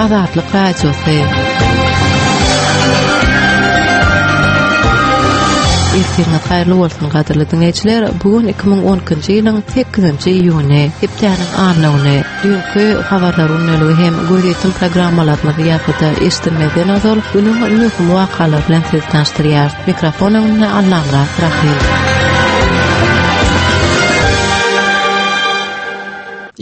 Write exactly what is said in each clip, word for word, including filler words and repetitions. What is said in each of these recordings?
Azatlyk Radiosy. Ertiriňiz haýyrly bolsun gadyrly diňleýjiler. Bu gün iki müň on ikinji ýylyň sekizinji iýuny, hepdäniň anna güni. Düýnki habarlar gündeligi hem gözýetim programmalarymyzy ýazgyda eşitmezden ozal günüň möhüm wakalary bilen sizi tanyşdyrýar. Mikrofon öňünde Allamyrat Rahim.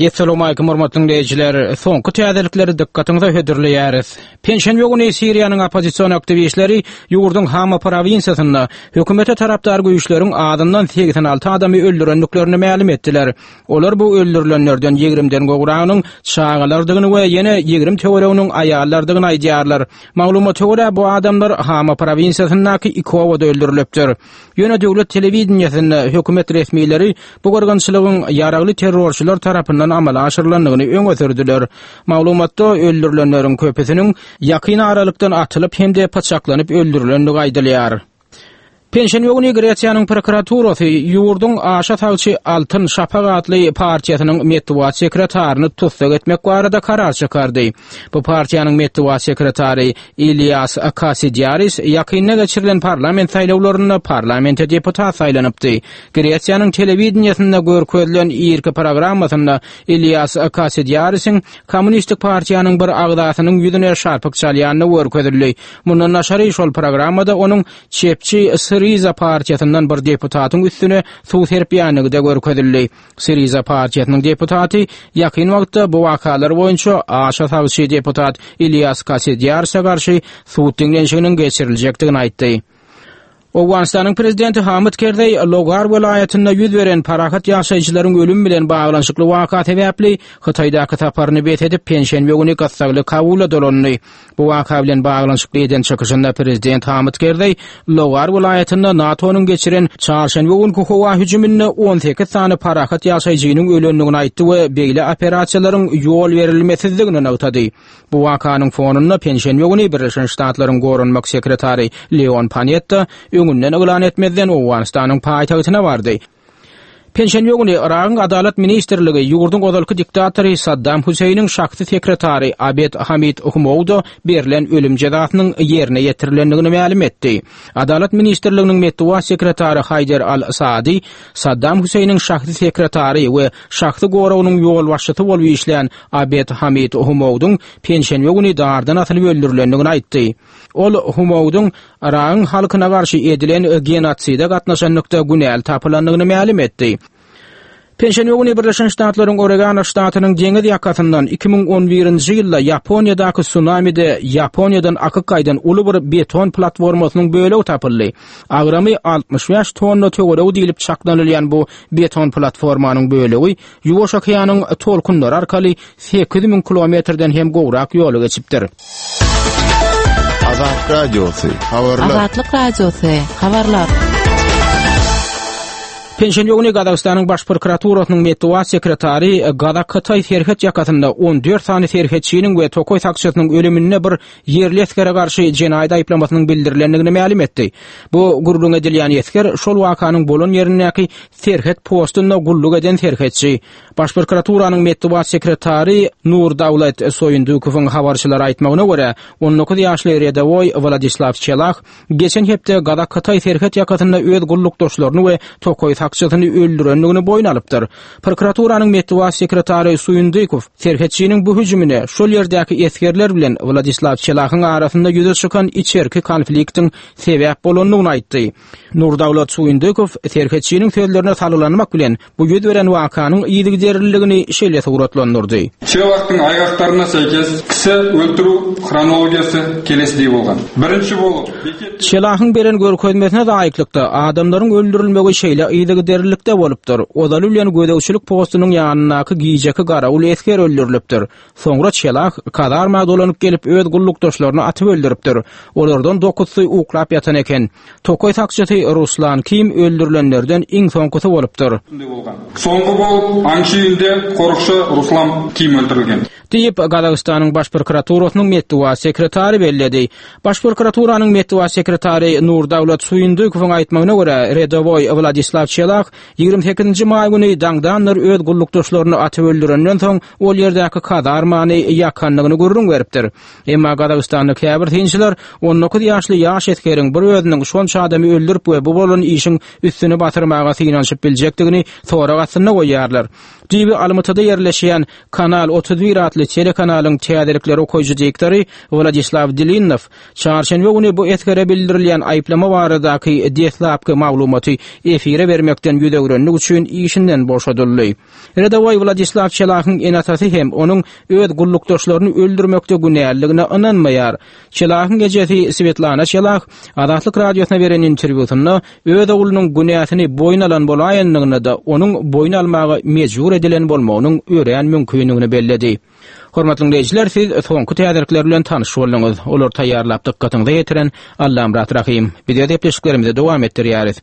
Esselamu aleýkum hormatly dinleýjiler. Soňky täzelikleri dykgatyňyza hödürleýäris. Penşenbe güni Siriýanyň oppozision aktiwistleri ýurduň Hama prowinsiýasynda hökümete tarapdar güýçleriň azyndan segsen alty adamy öldürendiklerini mälim etdiler. Olar bu öldürilenlerden ýigrimden gowragynyň çagalardygyny we ýene ýigrim töwereginiň aýallardygyny aýdýarlar. Maglumata görä, bu adamlar Hama prowinsiýasyndaky iki obada öldürilipdir. Ýöne döwlet telewideniýesinde hökümet resmileri bu gyrgynçylygyň ýaragly terrorçylar tarapyndan amala aşyrylandygyny öňe sürdüler. Maglumatda öldürilenleriň köpüsiniň ýakyn aralykdan atylyp hem-de pyçaklanyp öldürilendigi aýdylýar. Penşenbe güni Gresiýanyň prokuraturasy ýurduň aşa sagçy Altyn Şapak atly partiýasynyň metbugat sekretaryny tussag etmek barada karar çykardy. Bu partiýanyň metbugat sekretary Ilias Kasidiaris ýakynda geçirilen parlament saýlawlarynda parlamente deputat saýlanypdy. Gresiýanyň telewideniýesinde görkezilen irki programmasynda Ilias Kasidiarisiň Kommunistik partiýanyň bir agzasynyň ýüzüne şarpyk çalýandygy görkezildi. Mundan daşary şol programmada onuň çepçi Syriza partiýasyndan bir deputatyň üstüne suw serpýändigi-de görkezildi. Syriza partiýasynyň deputaty ýakyn wagtda bu wakalar boýunça aşa sagçy deputat Ilias Kasidiarise garşy sud diňlenişiginiň geçiriljekdigini aýtdy. Owganystanyň prezidenti Hamid Kerzeý Logar welaýatynda ýüz beren parahat ýaşaýjylaryň ölümi bilen baglanyşykly waka sebäpli Hytaýdaky saparyny bes edip, penşenbe güni gyssagly Kabula dolandy. Bu waka bilen baglanyşykly eden çykyşynda prezident Hamid Kerzeý Logar welaýatynda NATO-nyň geçiren çarşenbe günki howa hüjüminde on sekiz sany parahat ýaşaýjynyň ölendigini aýtdy we beýle operasiýalaryň ýol berilmesizdigini nygtady. Bu wakanyň fonunda penşenbe güni Birleşen Ştatlaryň goranmak sekretary Leon Panetta öňünden yglan etmezden Owganystanyň paýtagtyna bardy. Penşenbe güni Yragyň Adalat ministrligi ýurduň ozalky diktatory Saddam Hüseýniň şahsy sekretary Abed Hamid Humouda berlen ölüm jezasynyň ýerine ýetirilendigini mälim etdi. Adalat ministrliginiň metbugat sekretary Haýder Al-Saadi Saddam Hüseýniň şahsy sekretary we şahsy goragynyň ýolbaşçysy bolup işlän Abed Hamid Humoudyň penşenbe güni dardan asylyp öldürilendigini aýtdy. Ol Humoudyň Yragyň halkyna garşy edilen genotside gatnaşanlykda günäli tapylandygyny mälim etdi. Penşenbe güni Birleşen Ştatlaryň Oregon ştatynyň deňiz ýakasyndan iki müň on birinji ýylda Ýaponiýadaky tsunamide Ýaponiýadan akyp gaýdan uly bir beton platformasynyň bölegi tapyldy. Agramy altmyş bäş tonna töweregi diýlip çaklanylýan bu beton platformanyň bölegi Ýuwaş okeanyň tolkunlary arkaly sekiz müň kilometrden hem gowrak ýoly geçipdir. Azat Radiosy, habarlar. Azatlyk Radiosy, habarlar. Penşenbe güni Gazagystanyň Baş prokuraturasynyň metbugat sekretary Gazak-Hytaý serhet ýakasynda on dört sany serhetçiniň we tokaý sakçysynyň ölüminde bir ýerli esgere garşy jenaýat aýyplamasynyň bildirilendigini mälim etdi. Bu gürrüň edilýän esger şol wakanyň bolan ýerindäki serhet postunda gulluk eden serhetçi. Baş prokuraturanyň metbugat sekretary Nurdaulet Soýundukowyň habarçylara aýtmagyna görä, on dokuz ýaşly redowoý Wladislaw Çelah geçen hepde Gazak-Hytaý serhet ýakasynda öz gullukdaşlaryny we tokaý sakçysyny öldürendigini boýun alypdyr. Prokuraturanyň metbugat sekretary Suýundukow serhetçiniň bu hüjümine şol ýerdäki esgerler bilen Wladislaw Çelahyň arasynda ýüze çykan içerki konfliktiň sebäp bolandygyny aýtdy. Nurdaulet Suýundukow serhetçiniň sözlerine salgylanmak bilen bu ýüz beren wakanyň yzygiderliligini şeýle suratlandyrdy. Çelahtyň aýgakdaryna seýkes kisi öldürüw hronologiýasy kelesi bolgan. Birinji bolup Çelahyň beren görkezmesine laýyklykda adamlaryň öldürilmegi şeýle yzygiderlilikde bolupdyr. Ozaly bilen gözegçilik postunyň ýanyndaky gijeki garawul esger öldürilipdir. Soňra Çelah kazarma dolanyp gelip öz gullukdaşlaryny atyp öldüripdir. Olardan dokuzsy uklap ýatan eken. Tokaý sakçysy Ruslan Kim öldürilenlerden iň soňkusy bolupdyr. Soňky bolup aňçy ýylda korukçy Ruslan Kim öldürilgen. Diýip, Gazagystanyň Baş prokuraturasynyň metbugat sekretary belledi. Baş prokuraturanyň metbugat sekretary Nurdaulet Suýundukowyň aýtmagyna görä, redowoý Wladislaw Çelah Çelah ýigrimi sekizinji maý güni daňdanlar öz gullukdaşlaryny atyp öldürenden soň ol ýerdäki kazarmany ýakandygyny gürrüň beripdir. Emma Gazagystanda käbir synçylar on dokuz ýaşly ýaş esgeriň bir özüniň şonça adamy öldürip we bu bolan işiň üstüni batyrmaga synanyşyp biljekdigini sorag astynda goýýarlar. Düýbi Almatyda ýerleşýän Kanal otuz bir atly telekanalyň täzelikleri okaýjy diktory Wladislaw Dilinnow çarşenbe güni bu esgere bildirilýän aýyplama baradaky deslapky maglumaty efire bermekden ýüz öwrenlik üçin işinden boşadyldy. Redowoý Wladislaw Çelahyň enatasy hem onuň öz gullukdaşlaryny öldürmekde günäliligine ynanmaýar. Çelahyň ejesi Svetlana Çelah Azatlyk radiosyna beren interwýusynda öz oglunyň günäsini boýun alan bolaýandygyna da onuň boýun almaga mejbur edilen bolmagynyň örän mümkindigini belledi. Hormatly dinleýjiler, siz soňky täzelikler bilen tanyş bolduňyz. Olar taýýarlap dykgatyňyza ýetiren Allamyrat Rahim. Biz öz gepleşiklerimizi dowam etdirýäris.